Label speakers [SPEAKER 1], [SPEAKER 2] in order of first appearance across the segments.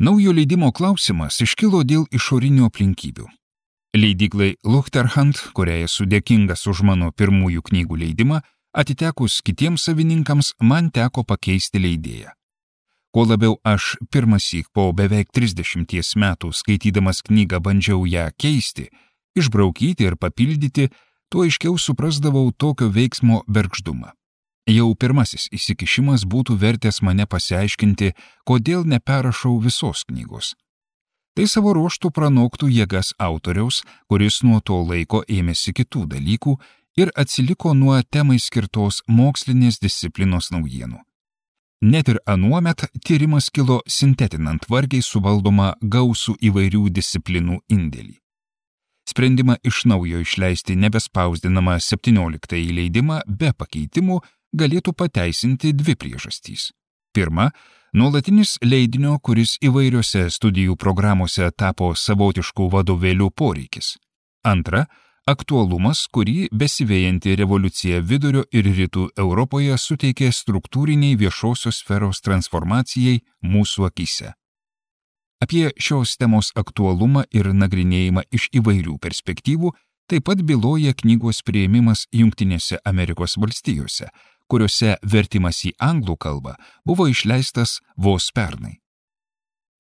[SPEAKER 1] Naujo leidimo klausimas iškilo dėl išorinių aplinkybių. Leidyklai Luchterhand, kuriai esu dėkingas už mano pirmųjų knygų leidimą, atitekus kitiems savininkams, man teko pakeisti leidėją. Kuo labiau aš pirmąsyk po beveik 30 metų skaitydamas knygą bandžiau ją keisti, išbraukyti ir papildyti, tuo aiškiau suprasdavau tokio veiksmo bergždumą. Jau pirmasis įsikišimas būtų vertęs mane pasiaiškinti, kodėl neperrašau visos knygos. Tai savo ruožtų pranoktų jėgas autoriaus, kuris nuo to laiko ėmėsi kitų dalykų ir atsiliko nuo temai skirtos mokslinės disciplinos naujienų. Net ir anuomet tyrimas kilo sintetinant vargiai suvaldomą gausų įvairių disciplinų indėlį. Sprendimą iš naujo išleisti nebespausdinamą 17 leidimą be pakeitimų galėtų pateisinti dvi priežastys. Pirma, nuolatinis leidinio, kuris įvairiose studijų programuose tapo savotiškų vadovėlių poreikis. Antra, aktualumas, kurį besivėjanti revoliucija vidurio ir rytų Europoje suteikė struktūriniai viešosios sferos transformacijai mūsų akyse. Apie šios temos aktualumą ir nagrinėjimą iš įvairių perspektyvų taip pat byloja knygos priėmimas Jungtinėse Amerikos valstijose, kuriuose vertimas į anglų kalbą buvo išleistas vos pernai.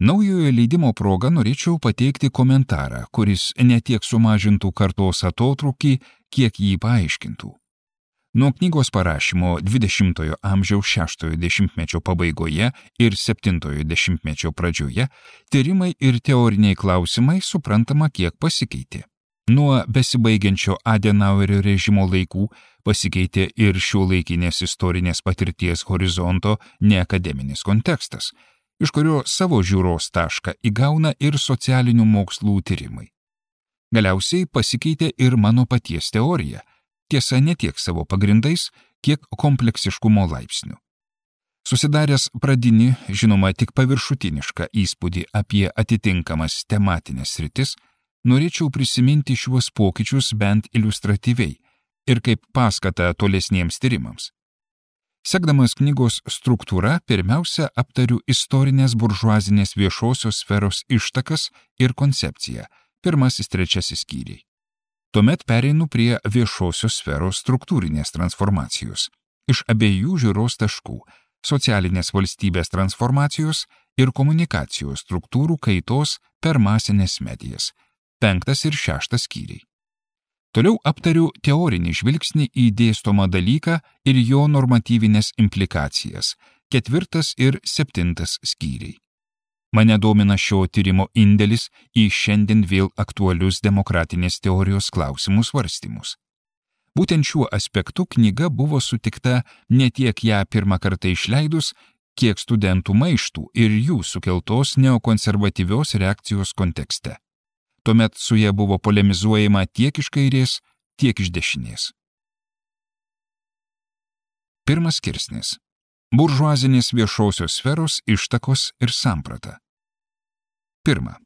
[SPEAKER 1] Naujojo leidimo proga norėčiau pateikti komentarą, kuris ne tiek sumažintų kartos atotrūkį, kiek jį paaiškintų. Nuo knygos parašymo 20-ojo amžiaus 6-ojo dešimtmečio pabaigoje ir 7-ojo dešimtmečio pradžioje tyrimai ir teoriniai klausimai suprantama kiek pasikeitė. Nuo besibaigiančio Adenauerio režimo laikų pasikeitė ir šiuolaikinės istorinės patirties horizonto neakademinis kontekstas, iš kurio savo žiūros tašką įgauna ir socialinių mokslų tyrimai. Galiausiai pasikeitė ir mano paties teorija, tiesa ne tiek savo pagrindais, kiek kompleksiškumo laipsniu. Susidaręs pradinį, žinoma tik paviršutinišką įspūdį apie atitinkamas tematinės sritis, norėčiau prisiminti šiuos pokyčius bent iliustratyviai ir kaip paskatą tolesniems tyrimams. Sekdamas knygos struktūrą, pirmiausia aptariu istorinės buržuazinės viešosios sferos ištakas ir koncepciją, 1-3 skyriai. Tuomet pereinu prie viešosios sferos struktūrinės transformacijos, iš abiejų žiūros taškų – socialinės valstybės transformacijos ir komunikacijos struktūrų kaitos per masinės medijas, 5 ir 6 skyriai. Toliau aptariu teorinį žvilgsnį į dėstomą dalyką ir jo normatyvinės implikacijas, 4 ir 7 skyriai. Mane domina šio tyrimo indėlis į šiandien vėl aktualius demokratinės teorijos klausimų svarstymus. Būtent šiuo aspektu knyga buvo sutikta ne tiek ją pirmą kartą išleidus, kiek studentų maištų ir jų sukeltos neokonservatyvios reakcijos kontekste. Tuomet su ja buvo polemizuojama tiek iš kairės, tiek iš dešinės. Pirmas skirsnis. Buržuazinės viešosios sferos ištakos ir samprata. Pirma.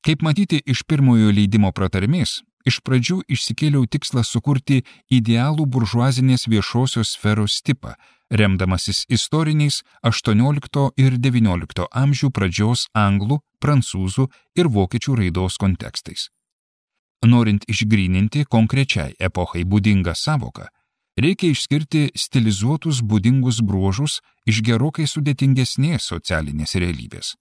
[SPEAKER 1] Kaip matyti iš pirmojo leidimo pratarmės, iš pradžių išsikėliau tikslą sukurti idealų buržuazinės viešosios sferos tipą, remdamasis istoriniais 18 ir 19 amžių pradžios anglų, prancūzų ir vokiečių raidos kontekstais. Norint išgryninti konkrečiai epochai būdingą savoką, reikia išskirti stilizuotus būdingus bruožus iš gerokai sudėtingesnės socialinės realybės.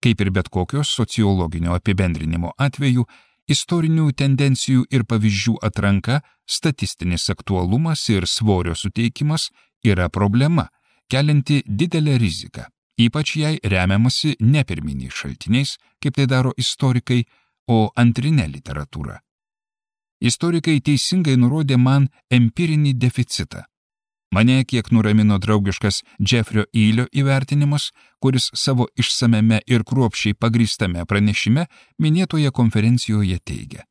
[SPEAKER 1] Kaip ir bet kokios sociologinio apibendrinimo atveju, istorinių tendencijų ir pavyzdžių atranka, statistinis aktualumas ir svorio suteikimas yra problema, kelianti didelę riziką, ypač jei remiamasi ne pirminiais šaltiniais, kaip tai daro istorikai, o antrine literatūra. Istorikai teisingai nurodė man empirinį deficitą. Mane kiek nuramino draugiškas Jeffrio Eilio įvertinimas, kuris savo išsameme ir kruopščiai pagrįstame pranešime minėtoje konferencijoje teigia.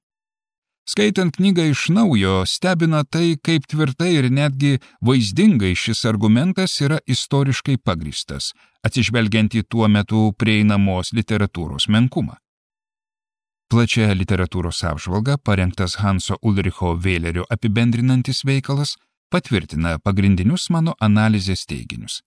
[SPEAKER 1] Skaitant knygą iš naujo, stebina tai, kaip tvirtai ir netgi vaizdingai šis argumentas yra istoriškai pagrįstas, atsižvelgiant į tuo metu prieinamos literatūros menkumą. Plačia literatūros apžvalga, parengtas Hanso Ulricho Vėlerio apibendrinantis veikalas, patvirtina pagrindinius mano analizės teiginius.